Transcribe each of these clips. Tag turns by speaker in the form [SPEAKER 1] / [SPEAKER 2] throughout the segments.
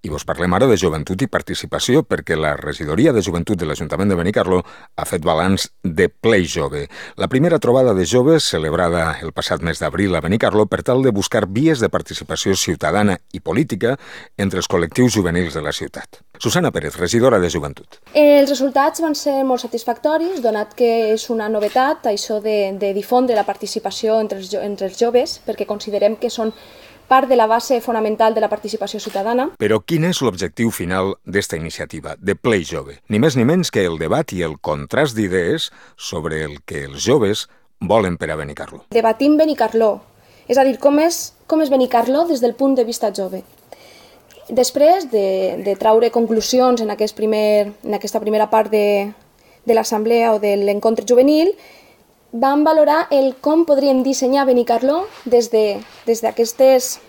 [SPEAKER 1] I vos parlem ara de joventut i participació, perquè la regidoria de joventut de l'Ajuntament de Benicarló ha fet balanç de Play Jove, la primera trobada de joves celebrada el passat mes d'abril a Benicarló per tal de buscar vies de participació ciutadana i política entre els col·lectius juvenils de la ciutat. Susana Pérez, regidora de Joventut.
[SPEAKER 2] Els resultats van ser molt satisfactoris, donat que és una novetat això de difondre la participació entre els joves, perquè considerem que són part de la base fonamental de la participació ciutadana.
[SPEAKER 1] Però quin és l'objectiu final d'esta iniciativa, de Play Jove? Ni més ni menys que el debat i el contrast d'idees sobre el que els joves volen per a Benicarló.
[SPEAKER 2] Debatim Benicarló, és a dir, com és Benicarló des del punt de vista jove. Després de traure conclusions en aquesta primera part de l'assemblea o de l'encontre juvenil, vam valorar com podríem dissenyar Benicarló des d'aquestes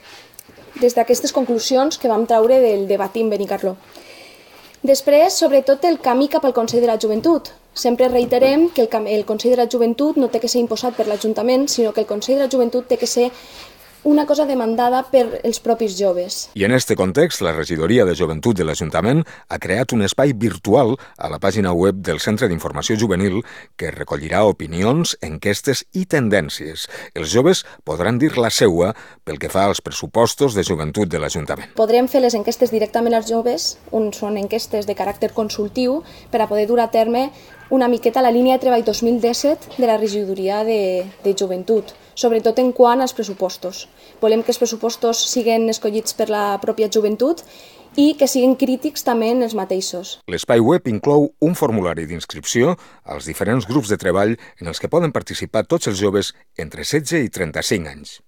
[SPEAKER 2] conclusions que vam traure del debatim Benicarló. Després, sobretot, el camí cap al Consell de la Joventut. Sempre reiterem que el Consell de la Joventut no té que ser imposat per l'Ajuntament, sinó que el Consell de la Joventut té que ser una cosa demandada per els propis joves.
[SPEAKER 1] I en aquest context, la regidoria de Joventut de l'Ajuntament ha creat un espai virtual a la pàgina web del Centre d'Informació Juvenil que recollirà opinions, enquestes i tendències. Els joves podran dir la seua pel que fa als pressupostos de joventut de l'Ajuntament.
[SPEAKER 2] Podrem fer les enquestes directament als joves, són enquestes de caràcter consultiu, per a poder dur a terme una miqueta la línia de treball 2017 de la regidoria de Joventut, sobretot en quant als pressupostos. Volem que els pressupostos siguin escollits per la pròpia joventut i que siguin crítics també en els mateixos.
[SPEAKER 1] L'espai web inclou un formulari d'inscripció als diferents grups de treball en els que poden participar tots els joves entre 16 i 35 anys.